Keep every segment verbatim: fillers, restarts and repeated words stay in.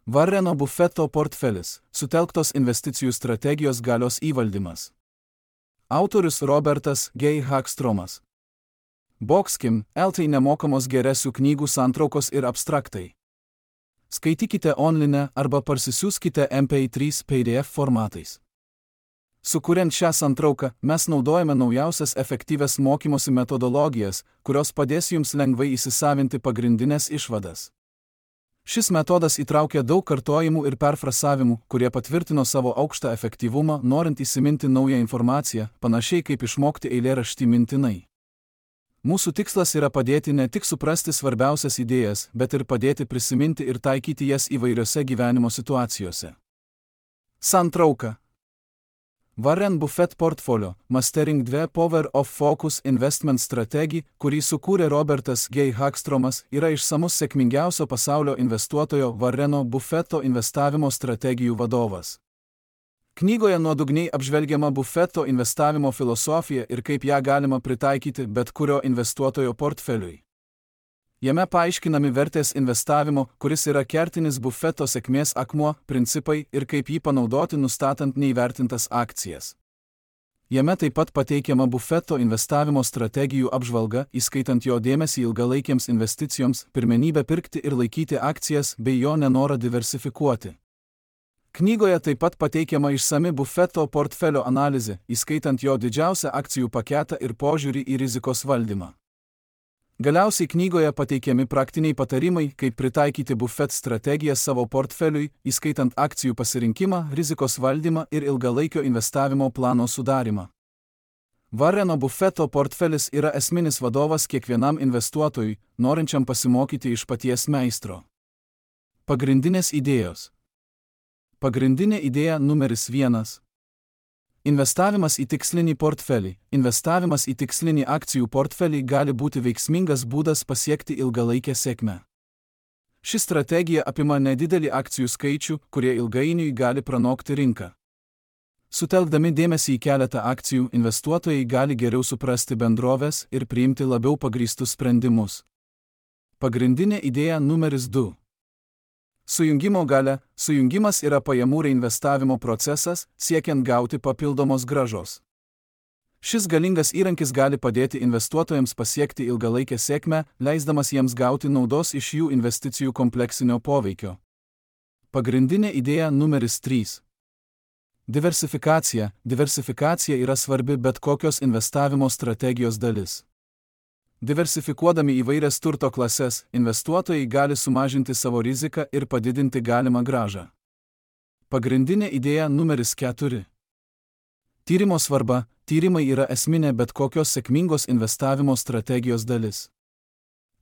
Warreno Buffetto portfelis – sutelktos investicijų strategijos galios įvaldymas. Autorius Robertas G. Hagstromas. Boxkim, L T nemokamos geresių knygų santraukos ir abstraktai. Skaitykite online arba parsisiųskite M P trys P D F formatais. Sukuriant šią santrauką, mes naudojame naujausias efektyvias mokymosi metodologijas, kurios padės jums lengvai įsisavinti pagrindinės išvadas. Šis metodas įtraukia daug kartojimų ir perfrasavimų, kurie patvirtino savo aukštą efektyvumą, norint įsiminti naują informaciją, panašiai kaip išmokti eilėraštį mintinai. Mūsų tikslas yra padėti ne tik suprasti svarbiausias idėjas, bet ir padėti prisiminti ir taikyti jas įvairiose gyvenimo situacijose. Santrauka. Warren Buffett portfolio Mastering two Power of Focus Investment Strategy, kurį sukūrė Robertas G. Hagstromas, yra išsamus sėkmingiausio pasaulio investuotojo Warreno Buffetto investavimo strategijų vadovas. Knygoje nuodugniai apžvelgiama Buffetto investavimo filosofija ir kaip ją galima pritaikyti bet kurio investuotojo portfeliui. Jame paaiškinami vertės investavimo, kuris yra kertinis Buffetto sėkmės akmuo, principai ir kaip jį panaudoti nustatant neįvertintas akcijas. Jame taip pat pateikiama Buffetto investavimo strategijų apžvalga, įskaitant jo dėmesį ilgalaikiams investicijoms, pirmenybę pirkti ir laikyti akcijas bei jo nenorą diversifikuoti. Knygoje taip pat pateikiama išsami Buffetto portfelio analizė, įskaitant jo didžiausią akcijų paketą ir požiūrį į rizikos valdymą. Galiausiai knygoje pateikiami praktiniai patarimai, kaip pritaikyti Buffett strategiją savo portfeliui, įskaitant akcijų pasirinkimą, rizikos valdymą ir ilgalaikio investavimo plano sudarimą. Warreno Buffetto portfelis yra esminis vadovas kiekvienam investuotojui, norinčiam pasimokyti iš paties meistro. Pagrindinės idėjos. Pagrindinė idėja numeris vienas. Investavimas į tikslinį portfelį. Investavimas į tikslinį akcijų portfelį gali būti veiksmingas būdas pasiekti ilgalaikę sėkmę. Ši strategija apima nedidelį akcijų skaičių, kurie ilgainiui gali pranokti rinką. Sutelkdami dėmesį į keletą akcijų, investuotojai gali geriau suprasti bendroves ir priimti labiau pagrįstus sprendimus. Pagrindinė idėja numeris du. Sujungimo galia. Sujungimas yra pajamų reinvestavimo procesas, siekiant gauti papildomos grąžos. Šis galingas įrankis gali padėti investuotojams pasiekti ilgalaikę sėkmę, leisdamas jiems gauti naudos iš jų investicijų kompleksinio poveikio. Pagrindinė idėja numeris trys. Diversifikacija. Diversifikacija yra svarbi bet kokios investavimo strategijos dalis. Diversifikuodami įvairias turto klases, investuotojai gali sumažinti savo riziką ir padidinti galimą grąžą. Pagrindinė idėja numeris keturi. Tyrimo svarba. Tyrimai yra esminė bet kokios sėkmingos investavimo strategijos dalis.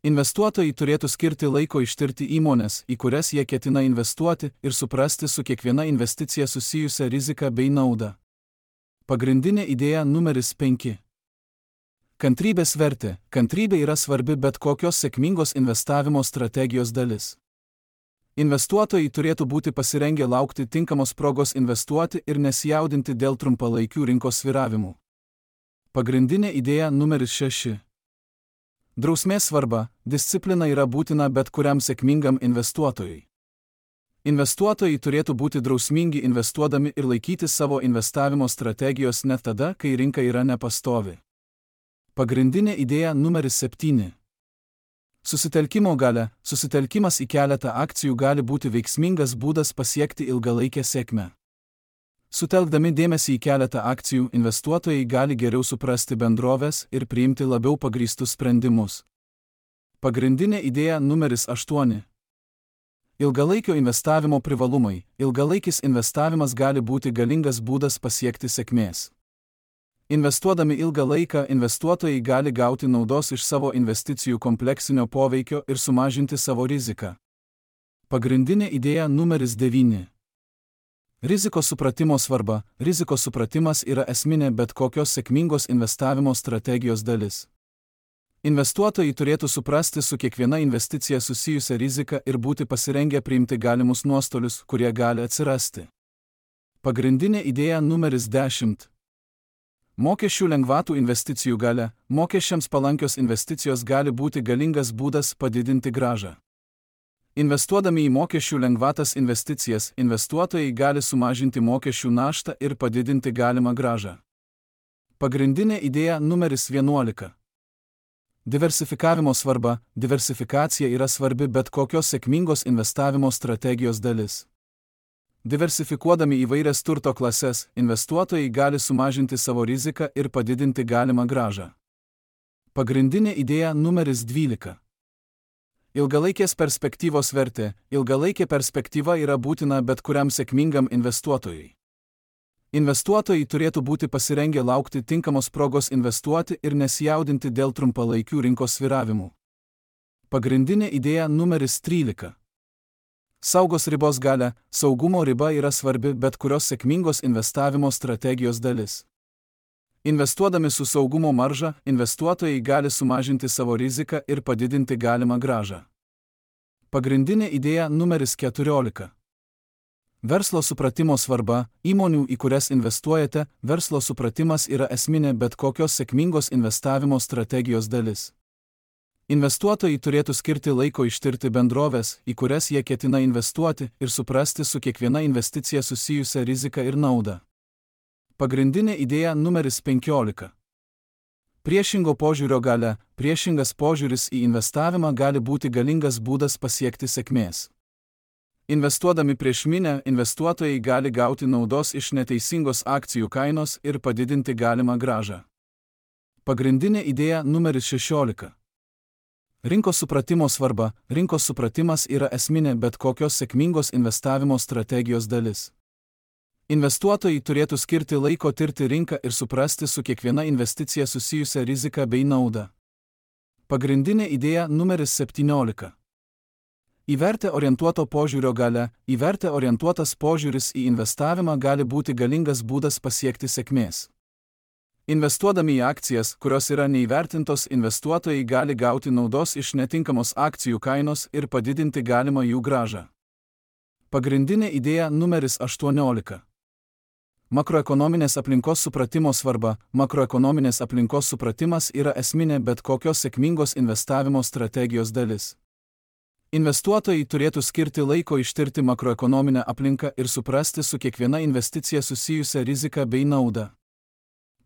Investuotojai turėtų skirti laiko ištirti įmones, į kurias jie ketina investuoti, ir suprasti su kiekviena investicija susijusią riziką bei naudą. Pagrindinė idėja numeris penki. Kantrybės vertė. Kantrybė yra svarbi bet kokios sėkmingos investavimo strategijos dalis. Investuotojai turėtų būti pasirengę laukti tinkamos progos investuoti ir nesijaudinti dėl trumpalaikių rinkos svyravimų. Pagrindinė idėja numeris šeši. Drausmės svarba. Disciplina yra būtina bet kuriam sėkmingam investuotojui. Investuotojai turėtų būti drausmingi investuodami ir laikyti savo investavimo strategijos net tada, kai rinka yra nepastovi. Pagrindinė idėja numeris septyni. Susitelkimo galia. Susitelkimas į keletą akcijų gali būti veiksmingas būdas pasiekti ilgalaikę sėkmę. Sutelkdami dėmesį į keletą akcijų, investuotojai gali geriau suprasti bendroves ir priimti labiau pagrįstus sprendimus. Pagrindinė idėja numeris aštuoni. Ilgalaikio investavimo privalumai. Ilgalaikis investavimas gali būti galingas būdas pasiekti sėkmės. Investuodami ilgą laiką, investuotojai gali gauti naudos iš savo investicijų kompleksinio poveikio ir sumažinti savo riziką. Pagrindinė idėja numeris devyni. Rizikos supratimo svarba. Rizikos supratimas yra esminė bet kokios sėkmingos investavimo strategijos dalis. Investuotojai turėtų suprasti su kiekviena investicija susijusią riziką ir būti pasirengę priimti galimus nuostolius, kurie gali atsirasti. Pagrindinė idėja numeris dešimt. Mokesčių lengvatų investicijų galia. Mokesčiams palankios investicijos gali būti galingas būdas padidinti grąžą. Investuodami į mokesčių lengvatas investicijas, investuotojai gali sumažinti mokesčių naštą ir padidinti galimą grąžą. Pagrindinė idėja numeris vienuolika. Diversifikavimo svarba. Diversifikacija yra svarbi bet kokios sėkmingos investavimo strategijos dalis. Diversifikuodami įvairias turto klases, investuotojai gali sumažinti savo riziką ir padidinti galimą grąžą. Pagrindinė idėja numeris dvylika. Ilgalaikės perspektyvos vertė. Ilgalaikė perspektyva yra būtina bet kuriam sėkmingam investuotojui. Investuotojai turėtų būti pasirengę laukti tinkamos progos investuoti ir nesijaudinti dėl trumpalaikių rinkos svyravimų. Pagrindinė idėja numeris trylika. Saugos ribos galia. Saugumo riba yra svarbi bet kurios sėkmingos investavimo strategijos dalis. Investuodami su saugumo marža, investuotojai gali sumažinti savo riziką ir padidinti galimą grąžą. Pagrindinė idėja numeris keturiolika. Verslo supratimo svarba. Įmonių, į kurias investuojate, verslo supratimas yra esminė bet kokios sėkmingos investavimo strategijos dalis. Investuotojai turėtų skirti laiko ištirti bendroves, į kurias jie ketina investuoti, ir suprasti su kiekviena investicija susijusią riziką ir naudą. Pagrindinė idėja numeris penkiolika. Priešingo požiūrio galia. Priešingas požiūris į investavimą gali būti galingas būdas pasiekti sėkmės. Investuodami prieš minią, investuotojai gali gauti naudos iš neteisingos akcijų kainos ir padidinti galimą grąžą. Pagrindinė idėja numeris šešiolika. Rinkos supratimo svarba. Rinkos supratimas yra esminė bet kokios sėkmingos investavimo strategijos dalis. Investuotojai turėtų skirti laiko tirti rinką ir suprasti su kiekviena investicija susijusią riziką bei naudą. Pagrindinė idėja numeris septyniolika. Į vertę orientuoto požiūrio galia. Į vertę orientuotas požiūris į investavimą gali būti galingas būdas pasiekti sėkmės. Investuodami į akcijas, kurios yra neįvertintos, investuotojai gali gauti naudos iš netinkamos akcijų kainos ir padidinti galimą jų grąžą. Pagrindinė idėja numeris aštuoniolika. Makroekonominės aplinkos supratimo svarba. Makroekonominės aplinkos supratimas yra esminė bet kokios sėkmingos investavimo strategijos dalis. Investuotojai turėtų skirti laiko ištirti makroekonominę aplinką ir suprasti su kiekviena investicija susijusią riziką bei naudą.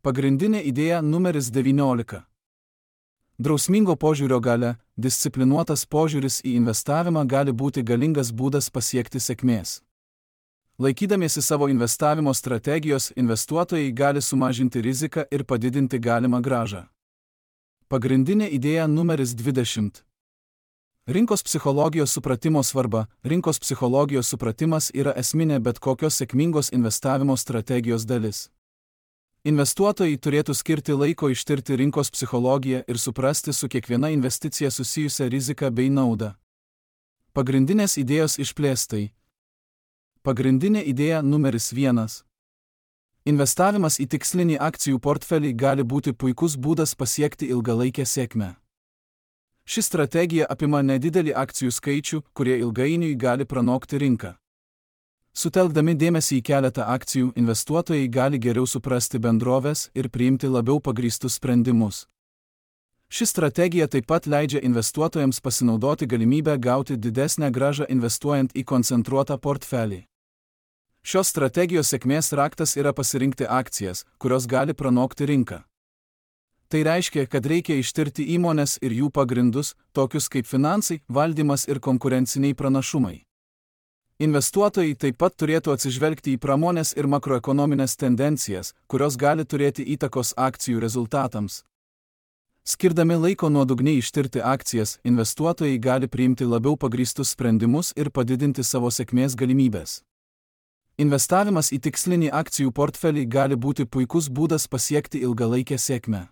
Pagrindinė idėja numeris devyniolika. Drausmingo požiūrio galia. Disciplinuotas požiūris į investavimą gali būti galingas būdas pasiekti sėkmės. Laikydamiesi savo investavimo strategijos, investuotojai gali sumažinti riziką ir padidinti galimą grąžą. Pagrindinė idėja numeris dvidešimt. Rinkos psichologijos supratimo svarba. Rinkos psichologijos supratimas yra esminė bet kokios sėkmingos investavimo strategijos dalis. Investuotojai turėtų skirti laiko ištirti rinkos psichologiją ir suprasti su kiekviena investicija susijusią riziką bei naudą. Pagrindinės idėjos išplėstai. Pagrindinė idėja numeris vienas. Investavimas į tikslinį akcijų portfelį gali būti puikus būdas pasiekti ilgalaikę sėkmę. Ši strategija apima nedidelį akcijų skaičių, kurie ilgainiui gali pranokti rinką. Sutelkdami dėmesį į keletą akcijų, investuotojai gali geriau suprasti bendroves ir priimti labiau pagrįstus sprendimus. Ši strategija taip pat leidžia investuotojams pasinaudoti galimybę gauti didesnę grąžą investuojant į koncentruotą portfelį. Šios strategijos sėkmės raktas yra pasirinkti akcijas, kurios gali pranokti rinką. Tai reiškia, kad reikia ištirti įmones ir jų pagrindus, tokius kaip finansai, valdymas ir konkurenciniai pranašumai. Investuotojai taip pat turėtų atsižvelgti į pramonės ir makroekonominės tendencijas, kurios gali turėti įtakos akcijų rezultatams. Skirdami laiko nuodugniai ištirti akcijas, investuotojai gali priimti labiau pagrįstus sprendimus ir padidinti savo sėkmės galimybės. Investavimas į tikslinį akcijų portfelį gali būti puikus būdas pasiekti ilgalaikę sėkmę.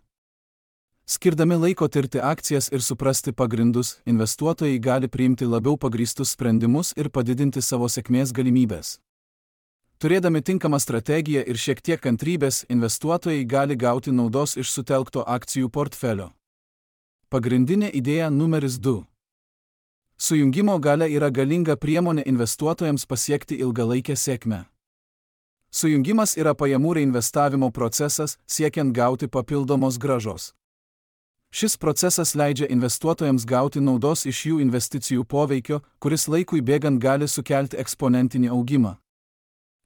Skirdami laiko tirti akcijas ir suprasti pagrindus, investuotojai gali priimti labiau pagrįstus sprendimus ir padidinti savo sėkmės galimybės. Turėdami tinkamą strategiją ir šiek tiek kantrybės, investuotojai gali gauti naudos iš sutelkto akcijų portfelio. Pagrindinė idėja numeris du. Sujungimo galia yra galinga priemonė investuotojams pasiekti ilgalaikę sėkmę. Sujungimas yra pajamų reinvestavimo procesas, siekiant gauti papildomos grąžos. Šis procesas leidžia investuotojams gauti naudos iš jų investicijų poveikio, kuris laikui bėgant gali sukelti eksponentinį augimą.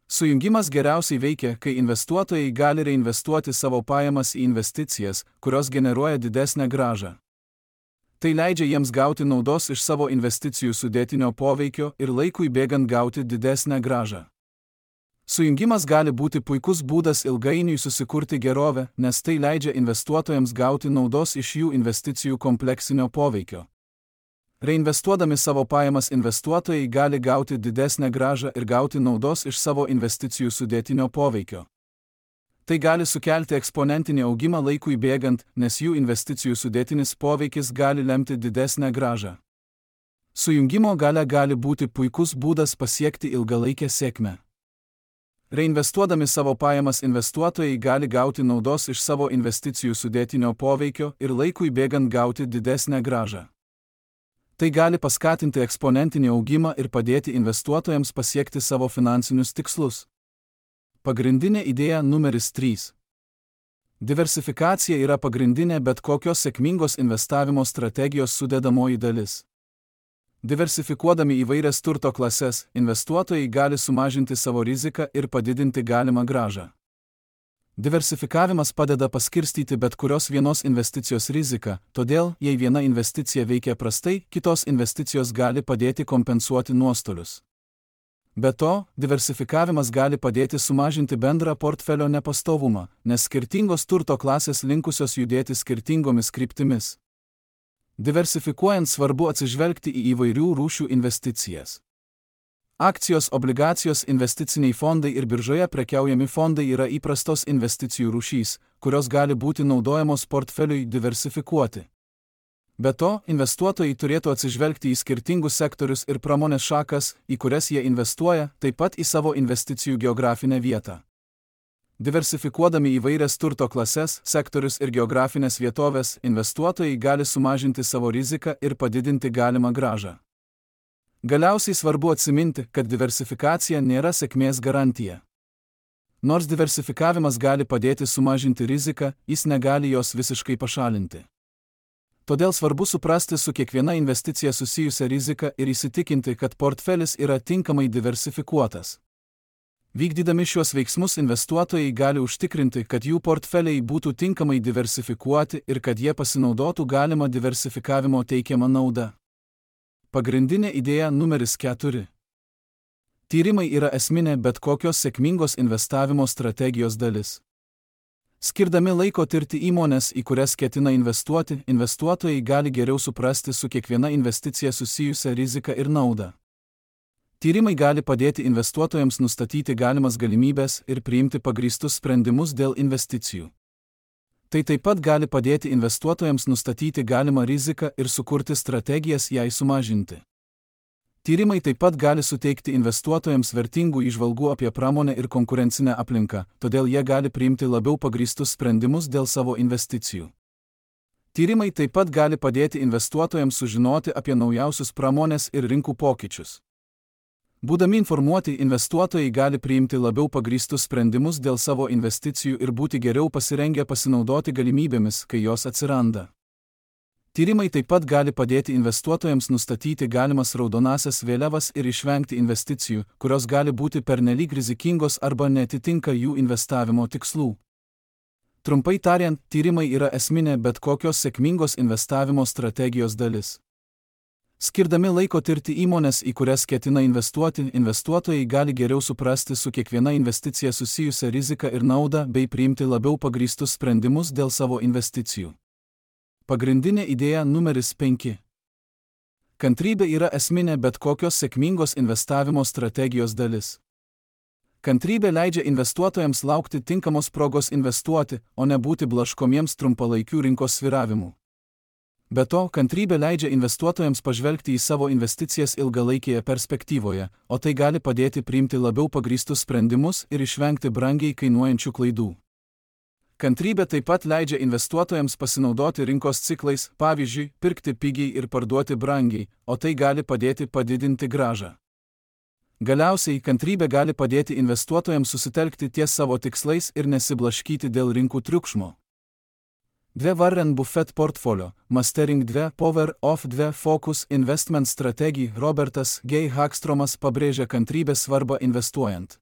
Sujungimas geriausiai veikia, kai investuotojai gali reinvestuoti savo pajamas į investicijas, kurios generuoja didesnę grąžą. Tai leidžia jiems gauti naudos iš savo investicijų sudėtinio poveikio ir laikui bėgant gauti didesnę grąžą. Sujungimas gali būti puikus būdas ilgainiui susikurti gerovę, nes tai leidžia investuotojams gauti naudos iš jų investicijų kompleksinio poveikio. Reinvestuodami savo pajamas investuotojai gali gauti didesnę grąžą ir gauti naudos iš savo investicijų sudėtinio poveikio. Tai gali sukelti eksponentinį augimą laikui bėgant, nes jų investicijų sudėtinis poveikis gali lemti didesnę grąžą. Sujungimo galia gali būti puikus būdas pasiekti ilgalaikę sėkmę. Reinvestuodami savo pajamas investuotojai gali gauti naudos iš savo investicijų sudėtinio poveikio ir laikui bėgant gauti didesnę grąžą. Tai gali paskatinti eksponentinį augimą ir padėti investuotojams pasiekti savo finansinius tikslus. Pagrindinė idėja numeris trys. Diversifikacija yra pagrindinė bet kokios sėkmingos investavimo strategijos sudedamoji dalis. Diversifikuodami įvairias turto klases, investuotojai gali sumažinti savo riziką ir padidinti galimą grąžą. Diversifikavimas padeda paskirstyti bet kurios vienos investicijos riziką, todėl, jei viena investicija veikia prastai, kitos investicijos gali padėti kompensuoti nuostolius. Be to, diversifikavimas gali padėti sumažinti bendrą portfelio nepastovumą, nes skirtingos turto klasės linkusios judėti skirtingomis kryptimis. Diversifikuojant svarbu atsižvelgti į įvairių rūšių investicijas. Akcijos, obligacijos, investiciniai fondai ir biržoje prekiaujami fondai yra įprastos investicijų rūšys, kurios gali būti naudojamos portfeliui diversifikuoti. Be to, investuotojai turėtų atsižvelgti į skirtingus sektorius ir pramonės šakas, į kurias jie investuoja, taip pat į savo investicijų geografinę vietą. Diversifikuodami įvairias turto klases, sektorius ir geografinės vietovės, investuotojai gali sumažinti savo riziką ir padidinti galimą grąžą. Galiausiai svarbu atsiminti, kad diversifikacija nėra sėkmės garantija. Nors diversifikavimas gali padėti sumažinti riziką, jis negali jos visiškai pašalinti. Todėl svarbu suprasti su kiekviena investicija susijusią riziką ir įsitikinti, kad portfelis yra tinkamai diversifikuotas. Vykdydami šiuos veiksmus investuotojai gali užtikrinti, kad jų portfeliai būtų tinkamai diversifikuoti ir kad jie pasinaudotų galimą diversifikavimo teikiamą naudą. Pagrindinė idėja numeris keturi. Tyrimai yra esminė bet kokios sėkmingos investavimo strategijos dalis. Skirdami laiko tirti įmones, į kurias ketina investuoti, investuotojai gali geriau suprasti su kiekviena investicija susijusią riziką ir naudą. Tyrimai gali padėti investuotojams nustatyti galimas galimybės ir priimti pagrįstus sprendimus dėl investicijų. Tai taip pat gali padėti investuotojams nustatyti galimą riziką ir sukurti strategijas jai sumažinti. Tyrimai taip pat gali suteikti investuotojams vertingų įžvalgų apie pramonę ir konkurencinę aplinką, todėl jie gali priimti labiau pagrįstus sprendimus dėl savo investicijų. Tyrimai taip pat gali padėti investuotojams sužinoti apie naujausius pramonės ir rinkų pokyčius. Būdami informuoti, investuotojai gali priimti labiau pagrįstus sprendimus dėl savo investicijų ir būti geriau pasirengę pasinaudoti galimybėmis, kai jos atsiranda. Tyrimai taip pat gali padėti investuotojams nustatyti galimas raudonąsias vėliavas ir išvengti investicijų, kurios gali būti pernelyg rizikingos arba neatitinka jų investavimo tikslų. Trumpai tariant, tyrimai yra esminė bet kokios sėkmingos investavimo strategijos dalis. Skirdami laiko tirti įmones, į kurias ketina investuoti, investuotojai gali geriau suprasti su kiekviena investicija susijusią riziką ir naudą bei priimti labiau pagrįstus sprendimus dėl savo investicijų. Pagrindinė idėja numeris penki. Kantrybė yra esminė bet kokios sėkmingos investavimo strategijos dalis. Kantrybė leidžia investuotojams laukti tinkamos progos investuoti, o ne būti blaškomiems trumpalaikių rinkos svyravimų. Be to, kantrybė leidžia investuotojams pažvelgti į savo investicijas ilgalaikėje perspektyvoje, o tai gali padėti priimti labiau pagrįstus sprendimus ir išvengti brangiai kainuojančių klaidų. Kantrybė taip pat leidžia investuotojams pasinaudoti rinkos ciklais, pavyzdžiui, pirkti pigiai ir parduoti brangiai, o tai gali padėti padidinti grąžą. Galiausiai, kantrybė gali padėti investuotojams susitelkti ties savo tikslais ir nesiblaškyti dėl rinkų triukšmo. dvi Warren Buffett portfolio, Mastering dvi Power of dvi Focus Investment Strategy. Robertas G. Hagstromas pabrėžia kantrybės svarbą investuojant.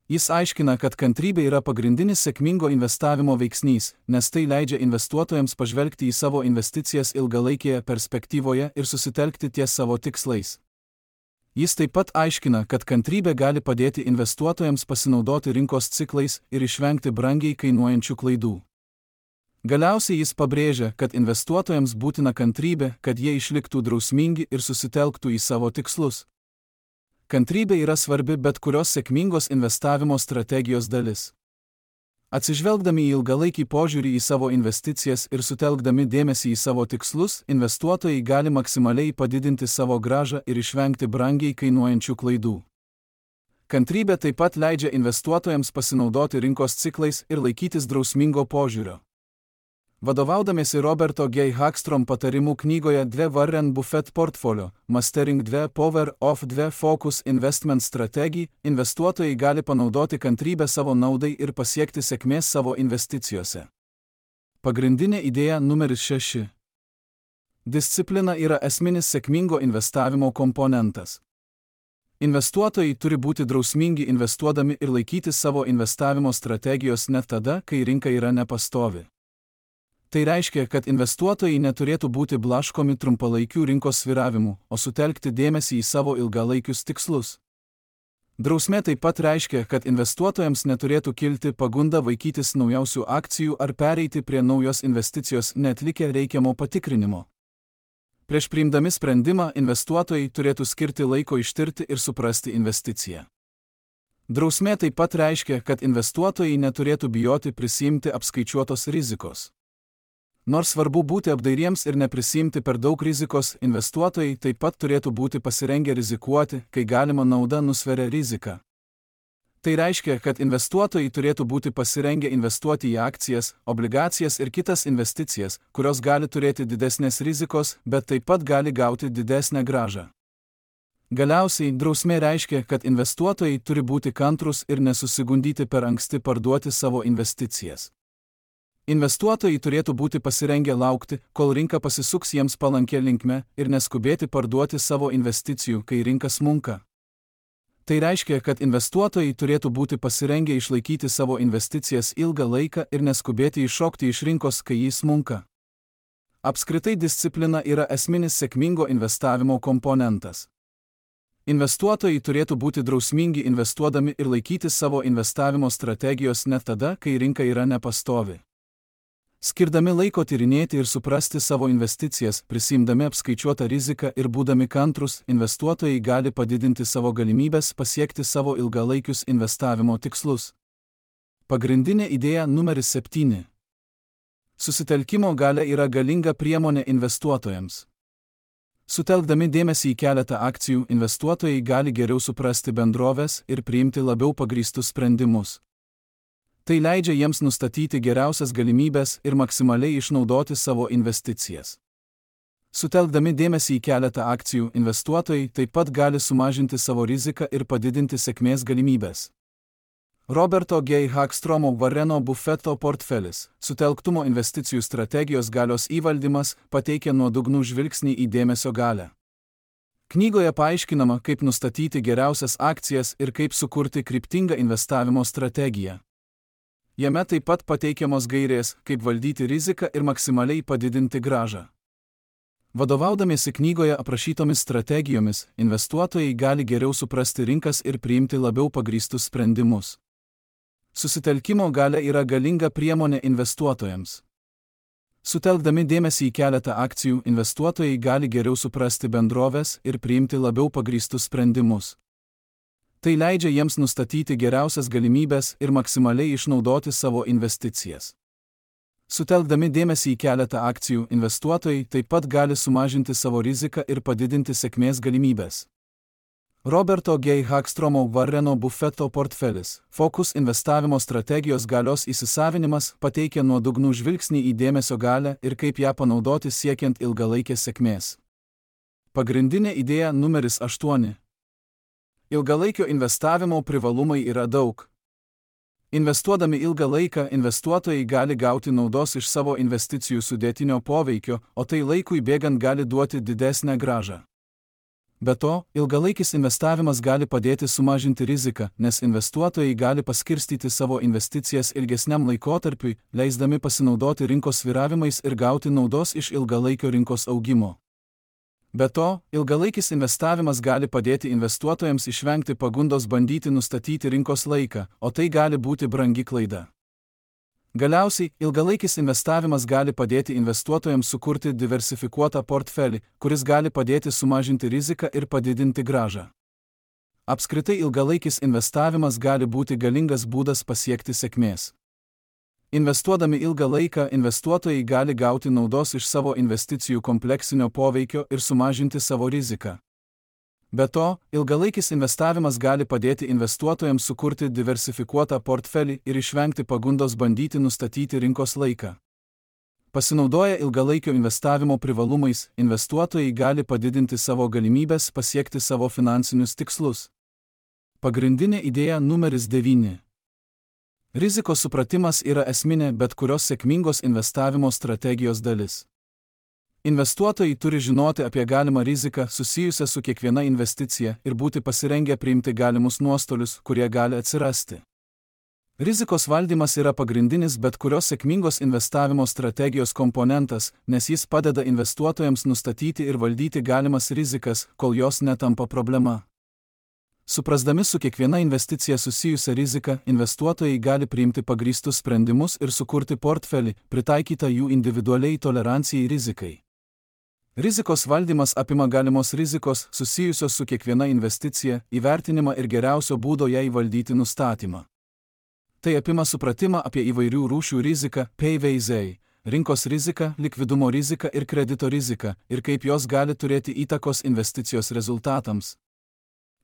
Jis aiškina, kad kantrybė yra pagrindinis sėkmingo investavimo veiksnys, nes tai leidžia investuotojams pažvelgti į savo investicijas ilgalaikėje perspektyvoje ir susitelkti ties savo tikslais. Jis taip pat aiškina, kad kantrybė gali padėti investuotojams pasinaudoti rinkos ciklais ir išvengti brangiai kainuojančių klaidų. Galiausiai jis pabrėžia, kad investuotojams būtina kantrybė, kad jie išliktų drausmingi ir susitelktų į savo tikslus. Kantrybė yra svarbi bet kurios sėkmingos investavimo strategijos dalis. Atsižvelgdami į ilgalaikį požiūrį į savo investicijas ir sutelkdami dėmesį į savo tikslus, investuotojai gali maksimaliai padidinti savo grąžą ir išvengti brangiai kainuojančių klaidų. Kantrybė taip pat leidžia investuotojams pasinaudoti rinkos ciklais ir laikytis drausmingo požiūrio. Vadovaudamiesi Roberto G. Hagstrom patarimų knygoje dvi Warren Buffett portfolio, Mastering dvi Power of dvi Focus Investment Strategy, investuotojai gali panaudoti kantrybę savo naudai ir pasiekti sėkmės savo investicijose. Pagrindinė idėja numeris šeši. Disciplina yra esminis sėkmingo investavimo komponentas. Investuotojai turi būti drausmingi investuodami ir laikytis savo investavimo strategijos net tada, kai rinka yra nepastovi. Tai reiškia, kad investuotojai neturėtų būti blaškomi trumpalaikių rinkos svyravimų, o sutelkti dėmesį į savo ilgalaikius tikslus. Drausmė taip pat reiškia, kad investuotojams neturėtų kilti pagunda vaikytis naujausių akcijų ar pereiti prie naujos investicijos neatlikę reikiamo patikrinimo. Prieš priimdami sprendimą, investuotojai turėtų skirti laiko ištirti ir suprasti investiciją. Drausmė taip pat reiškia, kad investuotojai neturėtų bijoti prisiimti apskaičiuotos rizikos. Nors svarbu būti apdairiems ir neprisimti per daug rizikos, investuotojai taip pat turėtų būti pasirengę rizikuoti, kai galima nauda nusveria riziką. Tai reiškia, kad investuotojai turėtų būti pasirengę investuoti į akcijas, obligacijas ir kitas investicijas, kurios gali turėti didesnės rizikos, bet taip pat gali gauti didesnę grąžą. Galiausiai, drausmė reiškia, kad investuotojai turi būti kantrūs ir nesusigundyti per anksti parduoti savo investicijas. Investuotojai turėtų būti pasirengę laukti, kol rinka pasisuks jiems palankia linkme ir neskubėti parduoti savo investicijų, kai rinka smunka. Tai reiškia, kad investuotojai turėtų būti pasirengę išlaikyti savo investicijas ilgą laiką ir neskubėti iššokti iš rinkos, kai jis smunka. Apskritai disciplina yra esminis sėkmingo investavimo komponentas. Investuotojai turėtų būti drausmingi investuodami ir laikyti savo investavimo strategijos net tada, kai rinka yra nepastovi. Skirdami laiko tyrinėti ir suprasti savo investicijas, prisimdami apskaičiuotą riziką ir būdami kantrus, investuotojai gali padidinti savo galimybės pasiekti savo ilgalaikius investavimo tikslus. Pagrindinė idėja numeris septyni. Susitelkimo galia yra galinga priemonė investuotojams. Sutelkdami dėmesį į keletą akcijų, investuotojai gali geriau suprasti bendroves ir priimti labiau pagrįstus sprendimus. Tai leidžia jiems nustatyti geriausias galimybės ir maksimaliai išnaudoti savo investicijas. Sutelkdami dėmesį į keletą akcijų, investuotojai taip pat gali sumažinti savo riziką ir padidinti sėkmės galimybės. Roberto G. Hagstromo Warreno Buffetto portfelis, sutelktumo investicijų strategijos galios įvaldymas, pateikia nuodugnų žvilgsnį į dėmesio galią. Knygoje paaiškinama, kaip nustatyti geriausias akcijas ir kaip sukurti kryptingą investavimo strategiją. Jame taip pat pateikiamos gairės, kaip valdyti riziką ir maksimaliai padidinti grąžą. Vadovaudamiesi knygoje aprašytomis strategijomis, investuotojai gali geriau suprasti rinkas ir priimti labiau pagrįstus sprendimus. Susitelkimo galia yra galinga priemonė investuotojams. Sutelkdami dėmesį į keletą akcijų, investuotojai gali geriau suprasti bendroves ir priimti labiau pagrįstus sprendimus. Tai leidžia jiems nustatyti geriausias galimybės ir maksimaliai išnaudoti savo investicijas. Sutelkdami dėmesį į keletą akcijų, investuotojai taip pat gali sumažinti savo riziką ir padidinti sėkmės galimybės. Roberto G. Hagstromo Warreno Buffetto portfelis, Focus investavimo strategijos galios įsisavinimas, pateikia nuodugnų žvilgsnį į dėmesio galią ir kaip ją panaudoti siekiant ilgalaikės sėkmės. Pagrindinė idėja numeris aštuoni. Ilgalaikio investavimo privalumai yra daug. Investuodami ilgą laiką, investuotojai gali gauti naudos iš savo investicijų sudėtinio poveikio, o tai laikui bėgant gali duoti didesnę grąžą. Be to, ilgalaikis investavimas gali padėti sumažinti riziką, nes investuotojai gali paskirstyti savo investicijas ilgesniam laikotarpiui, leisdami pasinaudoti rinkos svyravimais ir gauti naudos iš ilgalaikio rinkos augimo. Be to, ilgalaikis investavimas gali padėti investuotojams išvengti pagundos bandyti nustatyti rinkos laiką, o tai gali būti brangi klaida. Galiausiai, ilgalaikis investavimas gali padėti investuotojams sukurti diversifikuotą portfelį, kuris gali padėti sumažinti riziką ir padidinti grąžą. Apskritai ilgalaikis investavimas gali būti galingas būdas pasiekti sėkmės. Investuodami ilgą laiką, investuotojai gali gauti naudos iš savo investicijų kompleksinio poveikio ir sumažinti savo riziką. Be to, ilgalaikis investavimas gali padėti investuotojams sukurti diversifikuotą portfelį ir išvengti pagundos bandyti nustatyti rinkos laiką. Pasinaudoję ilgalaikio investavimo privalumais, investuotojai gali padidinti savo galimybės pasiekti savo finansinius tikslus. Pagrindinė idėja numeris devyni. Rizikos supratimas yra esminė bet kurios sėkmingos investavimo strategijos dalis. Investuotojai turi žinoti apie galimą riziką susijusią su kiekviena investicija ir būti pasirengę priimti galimus nuostolius, kurie gali atsirasti. Rizikos valdymas yra pagrindinis bet kurios sėkmingos investavimo strategijos komponentas, nes jis padeda investuotojams nustatyti ir valdyti galimas rizikas, kol jos netampa problema. Suprasdami su kiekviena investicija susijusią riziką, investuotojai gali priimti pagrįstus sprendimus ir sukurti portfelį, pritaikytą jų individualiai tolerancijai rizikai. Rizikos valdymas apima galimos rizikos susijusios su kiekviena investicija, įvertinimą ir geriausio būdo jai valdyti nustatymą. Tai apima supratimą apie įvairių rūšių riziką, P V Z, rinkos riziką, likvidumo riziką ir kredito riziką, ir kaip jos gali turėti įtakos investicijos rezultatams.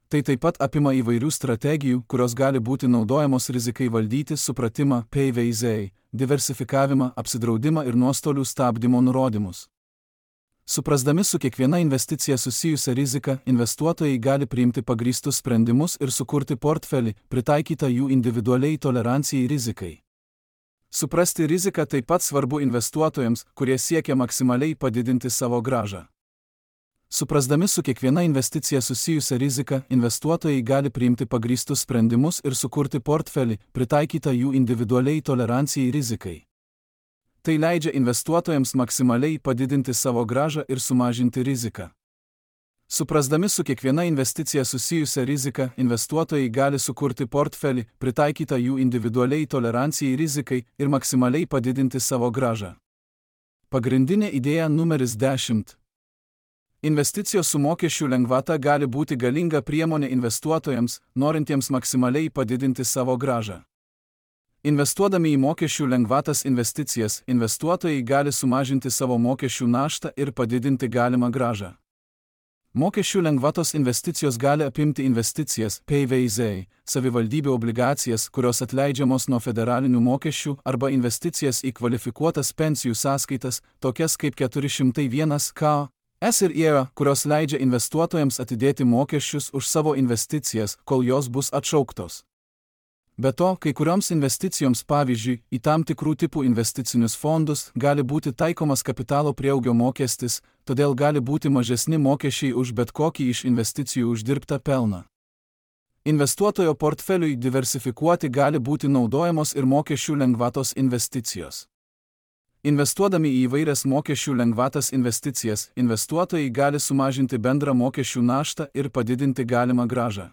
Tai taip pat apima įvairių strategijų, kurios gali būti naudojamos rizikai valdyti, supratimą, P V Z, diversifikavimą, apsidraudimą ir nuostolių stabdymo nurodymus. Suprasdami su kiekviena investicija susijusią riziką, investuotojai gali priimti pagrįstus sprendimus ir sukurti portfelį, pritaikytą jų individualiai tolerancijai rizikai. Suprasti riziką taip pat svarbu investuotojams, kurie siekia maksimaliai padidinti savo grąžą. Suprasdami su kiekviena investicija susijusią riziką, investuotojai gali priimti pagrįstus sprendimus ir sukurti portfelį, pritaikytą jų individualiai tolerancijai rizikai. Tai leidžia investuotojams maksimaliai padidinti savo grąžą ir sumažinti riziką. Suprasdami su kiekviena investicija susijusią riziką, investuotojai gali sukurti portfelį, pritaikytą jų individualiai tolerancijai rizikai ir maksimaliai padidinti savo grąžą. Pagrindinė idėja numeris dešimt. Investicijos su mokesčių lengvata gali būti galinga priemonė investuotojams, norintiems maksimaliai padidinti savo grąžą. Investuodami į mokesčių lengvatas investicijas, investuotojai gali sumažinti savo mokesčių naštą ir padidinti galimą grąžą. Mokesčių lengvatos investicijos gali apimti investicijas, P V Z, savivaldybių obligacijas, kurios atleidžiamos nuo federalinių mokesčių, arba investicijas į kvalifikuotas pensijų sąskaitas, tokias kaip keturi šimtai vienas K S ir I E A, kurios leidžia investuotojams atidėti mokesčius už savo investicijas, kol jos bus atšauktos. Be to, kai kurioms investicijoms, pavyzdžiui, į tam tikrų tipų investicinius fondus, gali būti taikomas kapitalo prieaugio mokestis, todėl gali būti mažesni mokesčiai už bet kokį iš investicijų uždirbtą pelną. Investuotojo portfeliui diversifikuoti gali būti naudojamos ir mokesčių lengvatos investicijos. Investuodami į įvairias mokesčių lengvatas investicijas, investuotojai gali sumažinti bendrą mokesčių naštą ir padidinti galimą grąžą.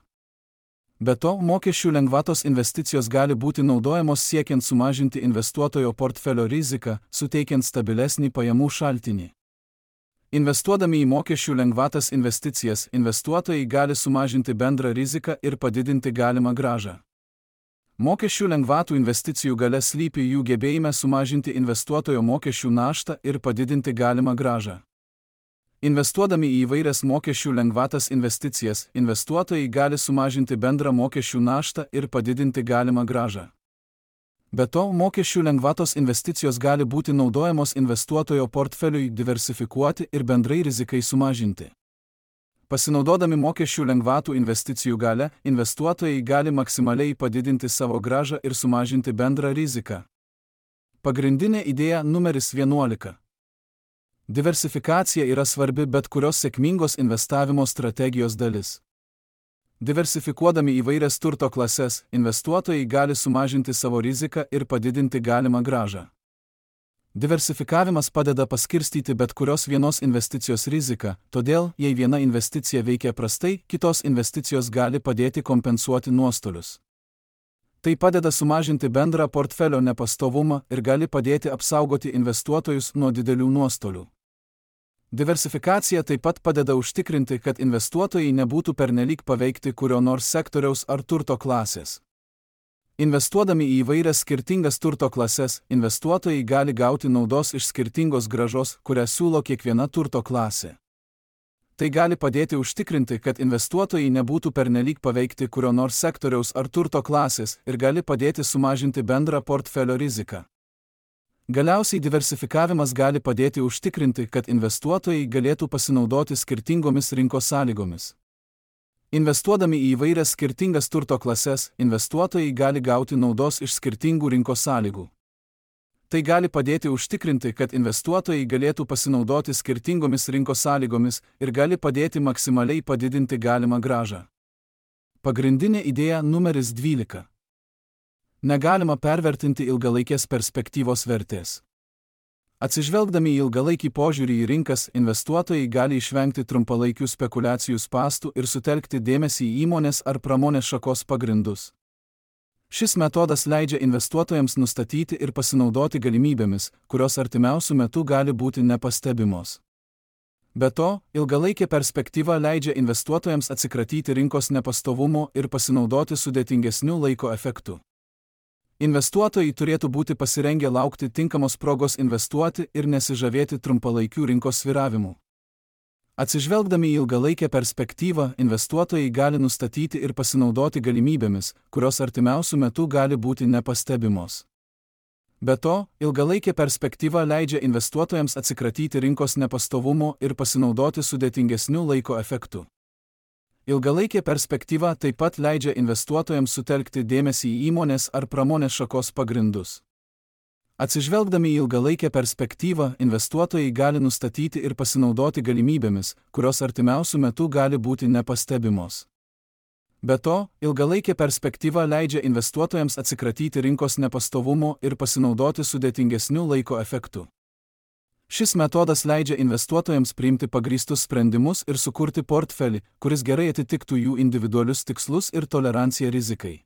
Be to, mokesčių lengvatos investicijos gali būti naudojamos siekiant sumažinti investuotojo portfelio riziką, suteikiant stabilesnį pajamų šaltinį. Investuodami į mokesčių lengvatas investicijas, investuotojai gali sumažinti bendrą riziką ir padidinti galimą grąžą. Mokesčių lengvatų investicijų galia slypi jų gebėjime sumažinti investuotojo mokesčių naštą ir padidinti galimą grąžą. Investuodami į įvairias mokesčių lengvatas investicijas, investuotojai gali sumažinti bendrą mokesčių naštą ir padidinti galimą grąžą. Be to, mokesčių lengvatos investicijos gali būti naudojamos investuotojo portfeliui diversifikuoti ir bendrai rizikai sumažinti. Pasinaudodami mokesčių lengvatų investicijų gale, investuotojai gali maksimaliai padidinti savo grąžą ir sumažinti bendrą riziką. Pagrindinė idėja numeris vienuolika. Diversifikacija yra svarbi bet kurios sėkmingos investavimo strategijos dalis. Diversifikuodami įvairias turto klases, investuotojai gali sumažinti savo riziką ir padidinti galimą grąžą. Diversifikavimas padeda paskirstyti bet kurios vienos investicijos riziką, todėl, jei viena investicija veikia prastai, kitos investicijos gali padėti kompensuoti nuostolius. Tai padeda sumažinti bendrą portfelio nepastovumą ir gali padėti apsaugoti investuotojus nuo didelių nuostolių. Diversifikacija taip pat padeda užtikrinti, kad investuotojai nebūtų pernelyg paveikti kurio nors sektoriaus ar turto klasės. Investuodami į įvairias skirtingas turto klases, investuotojai gali gauti naudos iš skirtingos grąžos, kurią siūlo kiekviena turto klasė. Tai gali padėti užtikrinti, kad investuotojai nebūtų pernelyg paveikti kurio nors sektoriaus ar turto klasės ir gali padėti sumažinti bendrą portfelio riziką. Galiausiai diversifikavimas gali padėti užtikrinti, kad investuotojai galėtų pasinaudoti skirtingomis rinkos sąlygomis. Investuodami į įvairias skirtingas turto klases, investuotojai gali gauti naudos iš skirtingų rinkos sąlygų. Tai gali padėti užtikrinti, kad investuotojai galėtų pasinaudoti skirtingomis rinkos sąlygomis ir gali padėti maksimaliai padidinti galimą grąžą. Pagrindinė idėja numeris dvylika. Negalima pervertinti ilgalaikės perspektyvos vertės. Atsižvelgdami į ilgalaikį požiūrį į rinkas, investuotojai gali išvengti trumpalaikių spekulacijų spąstų ir sutelkti dėmesį į įmonės ar pramonės šakos pagrindus. Šis metodas leidžia investuotojams nustatyti ir pasinaudoti galimybėmis, kurios artimiausių metų gali būti nepastebimos. Be to, ilgalaikė perspektyva leidžia investuotojams atsikratyti rinkos nepastovumo ir pasinaudoti sudėtingesniu laiko efektu. Investuotojai turėtų būti pasirengę laukti tinkamos progos investuoti ir nesižavėti trumpalaikių rinkos svyravimų. Atsižvelgdami į ilgalaikę perspektyvą, investuotojai gali nustatyti ir pasinaudoti galimybėmis, kurios artimiausių metų gali būti nepastebimos. Be to, ilgalaikė perspektyva leidžia investuotojams atsikratyti rinkos nepastovumo ir pasinaudoti sudėtingesniu laiko efektu. Ilgalaikė perspektyva taip pat leidžia investuotojams sutelkti dėmesį į įmonės ar pramonės šakos pagrindus. Atsižvelgdami į ilgalaikę perspektyvą, investuotojai gali nustatyti ir pasinaudoti galimybėmis, kurios artimiausių metų gali būti nepastebimos. Be to, ilgalaikė perspektyva leidžia investuotojams atsikratyti rinkos nepastovumo ir pasinaudoti sudėtingesniu laiko efektu. Šis metodas leidžia investuotojams priimti pagrįstus sprendimus ir sukurti portfelį, kuris gerai atitiktų jų individualius tikslus ir toleranciją rizikai.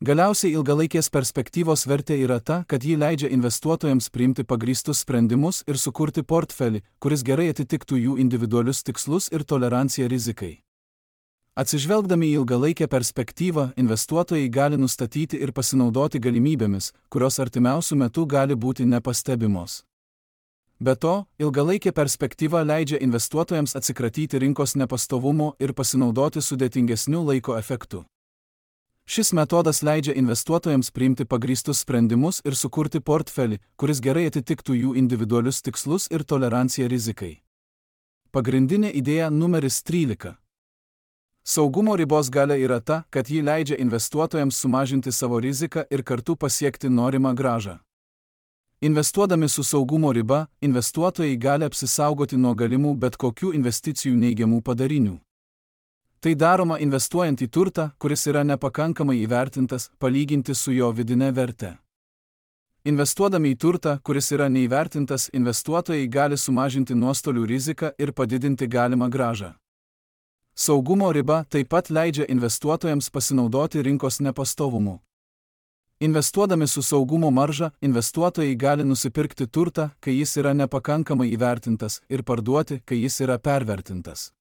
Galiausiai ilgalaikės perspektyvos vertė yra ta, kad ji leidžia investuotojams priimti pagrįstus sprendimus ir sukurti portfelį, kuris gerai atitiktų jų individualius tikslus ir toleranciją rizikai. Atsižvelgdami į ilgalaikę perspektyvą, investuotojai gali nustatyti ir pasinaudoti galimybėmis, kurios artimiausių metų gali būti nepastebimos. Be to, ilgalaikė perspektyva leidžia investuotojams atsikratyti rinkos nepastovumo ir pasinaudoti sudėtingesniu laiko efektu. Šis metodas leidžia investuotojams priimti pagrįstus sprendimus ir sukurti portfelį, kuris gerai atitiktų jų individualius tikslus ir toleranciją rizikai. Pagrindinė idėja numeris trylika. Saugumo ribos galia yra ta, kad ji leidžia investuotojams sumažinti savo riziką ir kartu pasiekti norimą grąžą. Investuodami su saugumo riba, investuotojai gali apsisaugoti nuo galimų bet kokių investicijų neigiamų padarinių. Tai daroma investuojant į turtą, kuris yra nepakankamai įvertintas, palyginti su jo vidine verte. Investuodami į turtą, kuris yra neįvertintas, investuotojai gali sumažinti nuostolių riziką ir padidinti galimą grąžą. Saugumo riba taip pat leidžia investuotojams pasinaudoti rinkos nepastovumu. Investuodami su saugumo marža, investuotojai gali nusipirkti turtą, kai jis yra nepakankamai įvertintas, ir parduoti, kai jis yra pervertintas.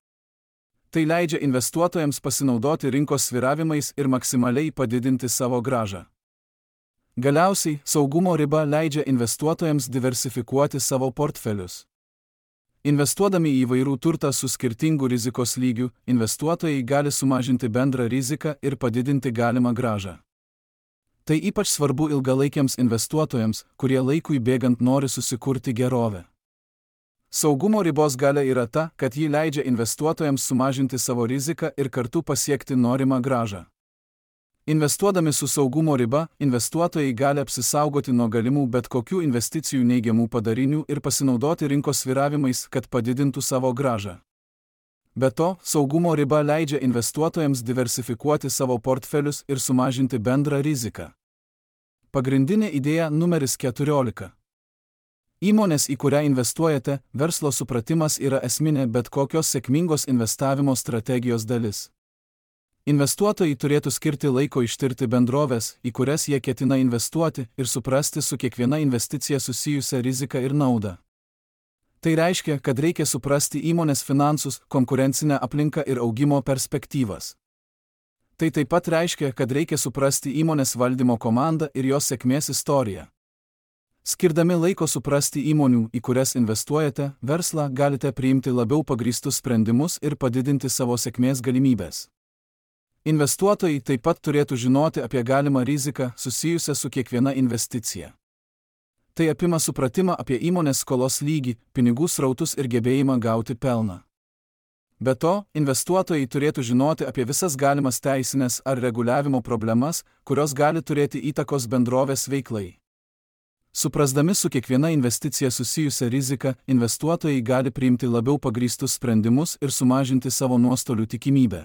Tai leidžia investuotojams pasinaudoti rinkos svyravimais ir maksimaliai padidinti savo grąžą. Galiausiai, saugumo riba leidžia investuotojams diversifikuoti savo portfelius. Investuodami į įvairių turtą su skirtingu rizikos lygiu, investuotojai gali sumažinti bendrą riziką ir padidinti galimą grąžą. Tai ypač svarbu ilgalaikiams investuotojams, kurie laikui bėgant nori susikurti gerovę. Saugumo ribos galia yra ta, kad ji leidžia investuotojams sumažinti savo riziką ir kartu pasiekti norimą grąžą. Investuodami su saugumo riba, investuotojai gali apsisaugoti nuo galimų bet kokių investicijų neigiamų padarinių ir pasinaudoti rinkos svyravimais, kad padidintų savo grąžą. Be to, saugumo riba leidžia investuotojams diversifikuoti savo portfelius ir sumažinti bendrą riziką. Pagrindinė idėja numeris keturiolika. Įmonės, į kurią investuojate, verslo supratimas yra esminė bet kokios sėkmingos investavimo strategijos dalis. Investuotojai turėtų skirti laiko ištirti bendroves, į kurias jie ketina investuoti, ir suprasti su kiekviena investicija susijusią riziką ir naudą. Tai reiškia, kad reikia suprasti įmonės finansus, konkurencinę aplinką ir augimo perspektyvas. Tai taip pat reiškia, kad reikia suprasti įmonės valdymo komandą ir jos sėkmės istoriją. Skirdami laiko suprasti įmonių, į kurias investuojate, verslą, galite priimti labiau pagrįstus sprendimus ir padidinti savo sėkmės galimybės. Investuotojai taip pat turėtų žinoti apie galimą riziką susijusią su kiekviena investicija. Tai apima supratimą apie įmonės skolos lygį, pinigų srautus ir gebėjimą gauti pelną. Be to, investuotojai turėtų žinoti apie visas galimas teisinės ar reguliavimo problemas, kurios gali turėti įtakos bendrovės veiklai. Suprasdami su kiekviena investicija susijusią riziką, investuotojai gali priimti labiau pagrįstus sprendimus ir sumažinti savo nuostolių tikimybę.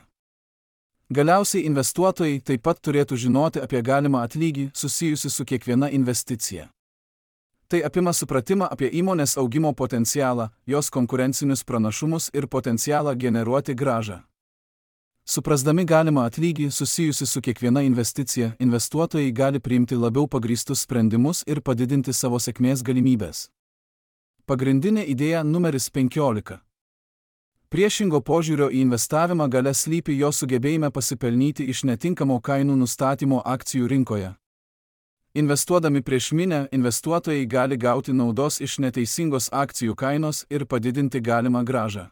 Galiausiai investuotojai taip pat turėtų žinoti apie galimą atlygį susijusi su kiekviena investicija. Tai apima supratimą apie įmonės augimo potencialą, jos konkurencinius pranašumus ir potencialą generuoti grąžą. Suprasdami galimą atlygį susijusi su kiekviena investicija, investuotojai gali priimti labiau pagrįstus sprendimus ir padidinti savo sėkmės galimybės. Pagrindinė idėja numeris penkiolika. Priešingo požiūrio į investavimą galia slypi jo sugebėjime pasipelnyti iš netinkamo kainų nustatymo akcijų rinkoje. Investuodami prieš minią, investuotojai gali gauti naudos iš neteisingos akcijų kainos ir padidinti galimą grąžą.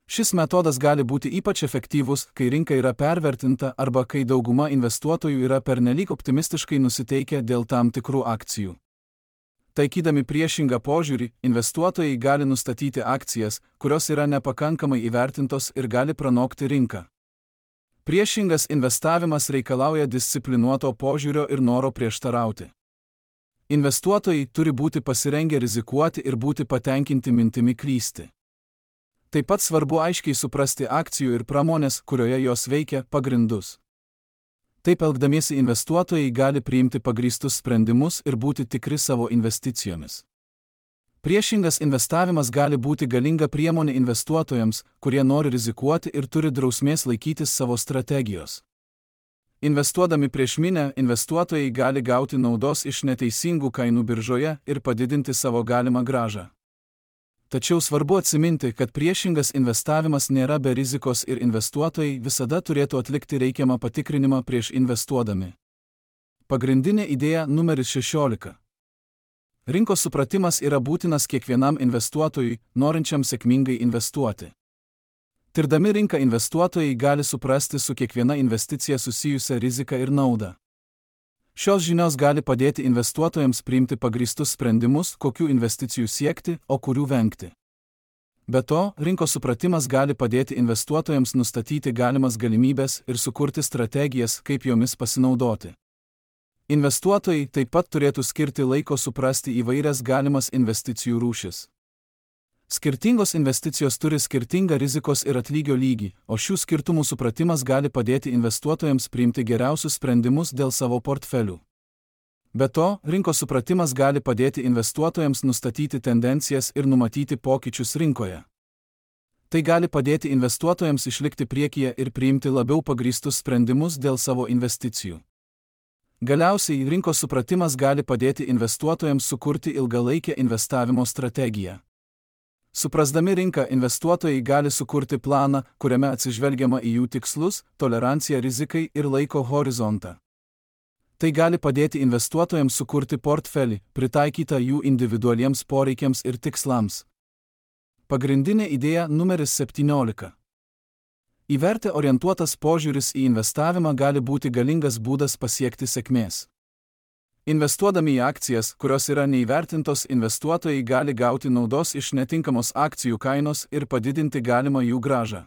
Šis metodas gali būti ypač efektyvus, kai rinka yra pervertinta arba kai dauguma investuotojų yra pernelyg optimistiškai nusiteikę dėl tam tikrų akcijų. Taikydami priešingą požiūrį, investuotojai gali nustatyti akcijas, kurios yra nepakankamai įvertintos ir gali pranokti rinką. Priešingas investavimas reikalauja disciplinuoto požiūrio ir noro prieštarauti. Investuotojai turi būti pasirengę rizikuoti ir būti patenkinti mintimi klysti. Taip pat svarbu aiškiai suprasti akcijų ir pramonės, kurioje jos veikia, pagrindus. Taip elgdamiesi investuotojai gali priimti pagrįstus sprendimus ir būti tikri savo investicijomis. Priešingas investavimas gali būti galinga priemonė investuotojams, kurie nori rizikuoti ir turi drausmės laikytis savo strategijos. Investuodami prieš minią, investuotojai gali gauti naudos iš neteisingų kainų biržoje ir padidinti savo galimą grąžą. Tačiau svarbu atsiminti, kad priešingas investavimas nėra be rizikos ir investuotojai visada turėtų atlikti reikiamą patikrinimą prieš investuodami. Pagrindinė idėja numeris šešiolika. Rinkos supratimas yra būtinas kiekvienam investuotojui, norinčiam sėkmingai investuoti. Tirdami rinką, investuotojai gali suprasti su kiekviena investicija susijusią riziką ir naudą. Šios žinios gali padėti investuotojams priimti pagrįstus sprendimus, kokių investicijų siekti, o kurių vengti. Be to, rinkos supratimas gali padėti investuotojams nustatyti galimas galimybės ir sukurti strategijas, kaip jomis pasinaudoti. Investuotojai taip pat turėtų skirti laiko suprasti įvairias galimas investicijų rūšis. Skirtingos investicijos turi skirtingą rizikos ir atlygio lygį, o šių skirtumų supratimas gali padėti investuotojams priimti geriausius sprendimus dėl savo portfelių. Be to, rinkos supratimas gali padėti investuotojams nustatyti tendencijas ir numatyti pokyčius rinkoje. Tai gali padėti investuotojams išlikti priekyje ir priimti labiau pagrįstus sprendimus dėl savo investicijų. Galiausiai, rinkos supratimas gali padėti investuotojams sukurti ilgalaikę investavimo strategiją. Suprasdami rinką, investuotojai gali sukurti planą, kuriame atsižvelgiama į jų tikslus, toleranciją rizikai ir laiko horizontą. Tai gali padėti investuotojams sukurti portfelį, pritaikytą jų individualiems poreikiams ir tikslams. Pagrindinė idėja numeris septyniolika. Į vertę orientuotas požiūris į investavimą gali būti galingas būdas pasiekti sėkmės. Investuodami į akcijas, kurios yra neįvertintos, investuotojai gali gauti naudos iš netinkamos akcijų kainos ir padidinti galimą jų grąžą.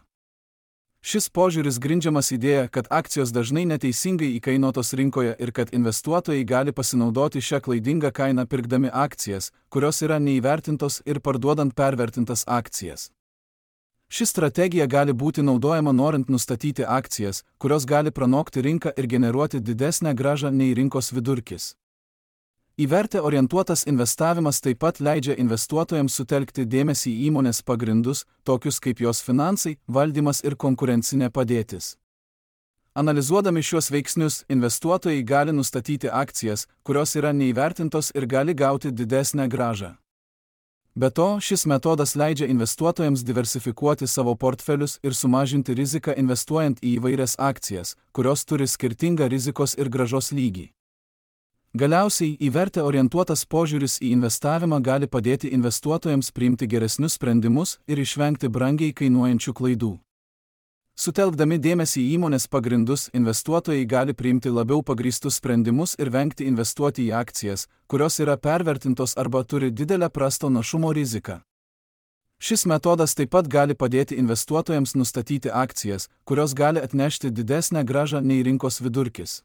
Šis požiūris grindžiamas idėja, kad akcijos dažnai neteisingai įkainotos rinkoje ir kad investuotojai gali pasinaudoti šią klaidingą kainą pirkdami akcijas, kurios yra neįvertintos ir parduodant pervertintas akcijas. Ši strategija gali būti naudojama norint nustatyti akcijas, kurios gali pranokti rinką ir generuoti didesnę grąžą nei rinkos vidurkis. Į vertę orientuotas investavimas taip pat leidžia investuotojams sutelkti dėmesį į įmonės pagrindus, tokius kaip jos finansai, valdymas ir konkurencinė padėtis. Analizuodami šiuos veiksnius, investuotojai gali nustatyti akcijas, kurios yra neįvertintos ir gali gauti didesnę grąžą. Be to, šis metodas leidžia investuotojams diversifikuoti savo portfelius ir sumažinti riziką investuojant į įvairias akcijas, kurios turi skirtingą rizikos ir grąžos lygį. Galiausiai, į vertę orientuotas požiūris į investavimą gali padėti investuotojams priimti geresnius sprendimus ir išvengti brangiai kainuojančių klaidų. Sutelkdami dėmesį į įmonės pagrindus, investuotojai gali priimti labiau pagrįstus sprendimus ir vengti investuoti į akcijas, kurios yra pervertintos arba turi didelę prasto našumo riziką. Šis metodas taip pat gali padėti investuotojams nustatyti akcijas, kurios gali atnešti didesnę grąžą nei rinkos vidurkis.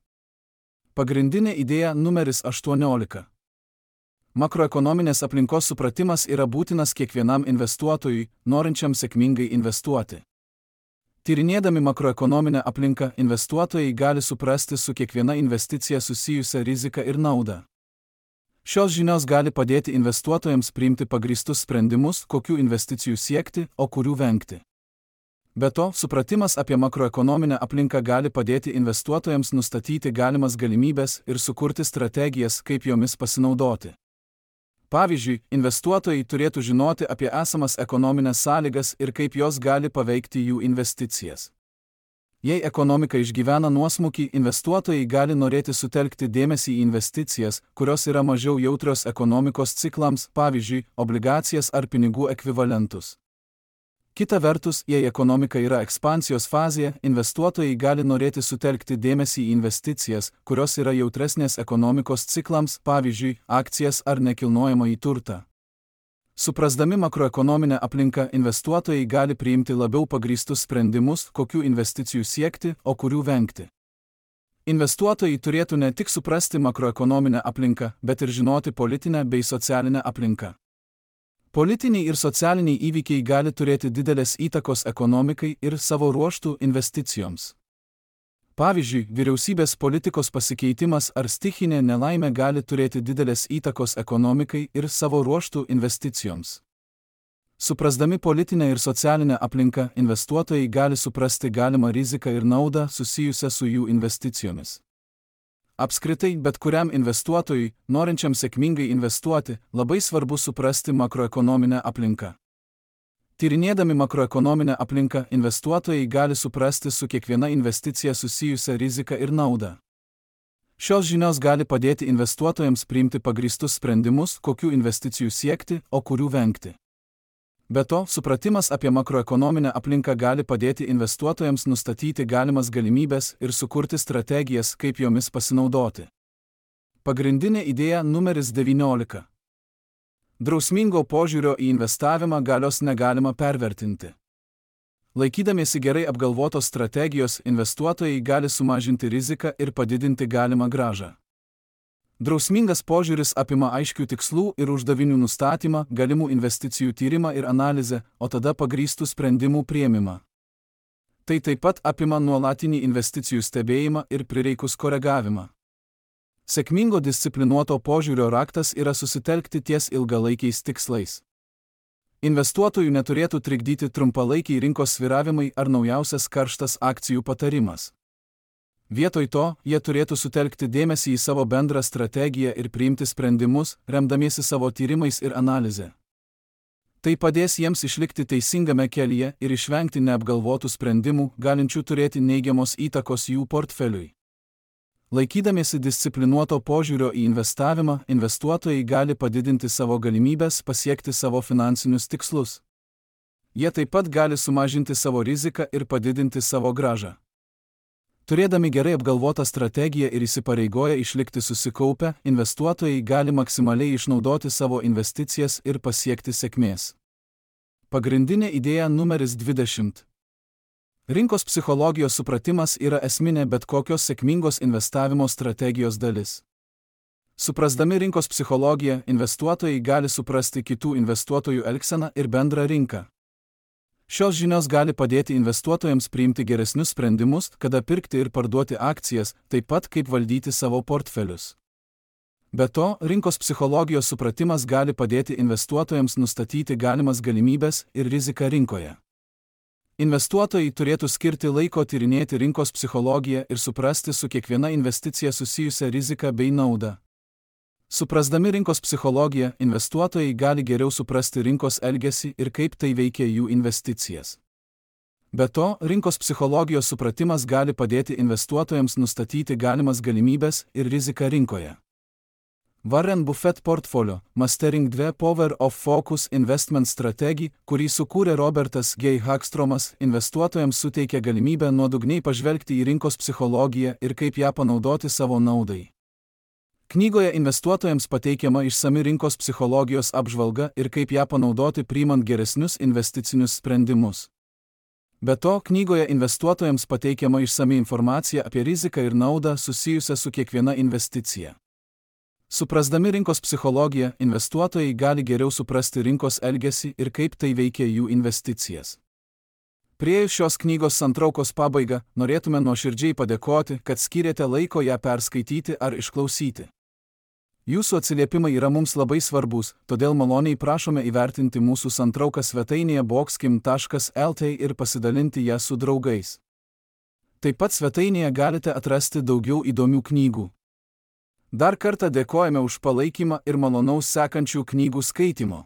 Pagrindinė idėja numeris aštuoniolika. Makroekonominės aplinkos supratimas yra būtinas kiekvienam investuotojui, norinčiam sėkmingai investuoti. Tyrinėdami makroekonominę aplinką, investuotojai gali suprasti su kiekviena investicija susijusią riziką ir naudą. Šios žinios gali padėti investuotojams priimti pagrįstus sprendimus, kokių investicijų siekti, o kurių vengti. Be to, supratimas apie makroekonominę aplinką gali padėti investuotojams nustatyti galimas galimybes ir sukurti strategijas, kaip jomis pasinaudoti. Pavyzdžiui, investuotojai turėtų žinoti apie esamas ekonominės sąlygas ir kaip jos gali paveikti jų investicijas. Jei ekonomika išgyvena nuosmukį, investuotojai gali norėti sutelkti dėmesį į investicijas, kurios yra mažiau jautrios ekonomikos ciklams, pavyzdžiui, obligacijas ar pinigų ekvivalentus. Kita vertus, jei ekonomika yra ekspansijos fazėje, investuotojai gali norėti sutelkti dėmesį į investicijas, kurios yra jautresnės ekonomikos ciklams, pavyzdžiui, akcijas ar nekilnojamąjį turtą. Suprasdami makroekonominę aplinką, investuotojai gali priimti labiau pagrįstus sprendimus, kokių investicijų siekti, o kurių vengti. Investuotojai turėtų ne tik suprasti makroekonominę aplinką, bet ir žinoti politinę bei socialinę aplinką. Politiniai ir socialiniai įvykiai gali turėti didelės įtakos ekonomikai ir savo ruožtų investicijoms. Pavyzdžiui, vyriausybės politikos pasikeitimas ar stichinė nelaimė gali turėti didelės įtakos ekonomikai ir savo ruožtų investicijoms. Suprasdami politinę ir socialinę aplinką, investuotojai gali suprasti galimą riziką ir naudą susijusią su jų investicijomis. Apskritai, bet kuriam investuotojui, norinčiam sėkmingai investuoti, labai svarbu suprasti makroekonominę aplinką. Tyrinėdami makroekonominę aplinką, investuotojai gali suprasti su kiekviena investicija susijusią riziką ir naudą. Šios žinios gali padėti investuotojams priimti pagrįstus sprendimus, kokių investicijų siekti, o kurių vengti. Be to, supratimas apie makroekonominę aplinką gali padėti investuotojams nustatyti galimas galimybes ir sukurti strategijas, kaip jomis pasinaudoti. Pagrindinė idėja numeris devyniolika. Drausmingo požiūrio į investavimą galios negalima pervertinti. Laikydamiesi gerai apgalvotos strategijos, investuotojai gali sumažinti riziką ir padidinti galimą grąžą. Drausmingas požiūris apima aiškių tikslų ir uždavinių nustatymą, galimų investicijų tyrimą ir analizę, o tada pagrįstų sprendimų priėmimą. Tai taip pat apima nuolatinį investicijų stebėjimą ir prireikus koregavimą. Sėkmingo disciplinuoto požiūrio raktas yra susitelkti ties ilgalaikiais tikslais. Investuotojų neturėtų trikdyti trumpalaikiai rinkos svyravimai ar naujausias karštas akcijų patarimas. Vietoj to, jie turėtų sutelkti dėmesį į savo bendrą strategiją ir priimti sprendimus, remdamiesi savo tyrimais ir analize. Tai padės jiems išlikti teisingame kelyje ir išvengti neapgalvotų sprendimų, galinčių turėti neigiamos įtakos jų portfeliui. Laikydamiesi disciplinuoto požiūrio į investavimą, investuotojai gali padidinti savo galimybes pasiekti savo finansinius tikslus. Jie taip pat gali sumažinti savo riziką ir padidinti savo grąžą. Turėdami gerai apgalvotą strategiją ir įsipareigoję išlikti susikaupę, investuotojai gali maksimaliai išnaudoti savo investicijas ir pasiekti sėkmės. Pagrindinė idėja numeris dvidešimt. Rinkos psichologijos supratimas yra esminė bet kokios sėkmingos investavimo strategijos dalis. Suprasdami rinkos psichologiją, investuotojai gali suprasti kitų investuotojų elgseną ir bendrą rinką. Šios žinios gali padėti investuotojams priimti geresnius sprendimus, kada pirkti ir parduoti akcijas, taip pat kaip valdyti savo portfelius. Be to, rinkos psichologijos supratimas gali padėti investuotojams nustatyti galimas galimybes ir riziką rinkoje. Investuotojai turėtų skirti laiko tyrinėti rinkos psichologiją ir suprasti su kiekviena investicija susijusią riziką bei naudą. Suprasdami rinkos psichologiją, investuotojai gali geriau suprasti rinkos elgesį ir kaip tai veikia jų investicijas. Be to, rinkos psichologijos supratimas gali padėti investuotojams nustatyti galimas galimybes ir riziką rinkoje. Warren Buffett portfolio Mastering two Power of Focus Investment Strategy, kurį sukūrė Robertas G. Hagstromas, investuotojams suteikia galimybę nuodugniai pažvelgti į rinkos psichologiją ir kaip ją panaudoti savo naudai. Knygoje investuotojams pateikiama išsami rinkos psichologijos apžvalga ir kaip ją panaudoti priimant geresnius investicinius sprendimus. Be to, knygoje investuotojams pateikiama išsami informacija apie riziką ir naudą susijusią su kiekviena investicija. Suprasdami rinkos psichologiją, investuotojai gali geriau suprasti rinkos elgesį ir kaip tai veikia jų investicijas. Priėjus šios knygos santraukos pabaigą, norėtume nuoširdžiai padėkoti, kad skyrėte laiko ją perskaityti ar išklausyti. Jūsų atsiliepimai yra mums labai svarbus, todėl maloniai prašome įvertinti mūsų santrauką svetainėje boxkim taškas el t ir pasidalinti ją su draugais. Taip pat svetainėje galite atrasti daugiau įdomių knygų. Dar kartą dėkojame už palaikymą ir malonaus sekančių knygų skaitimo.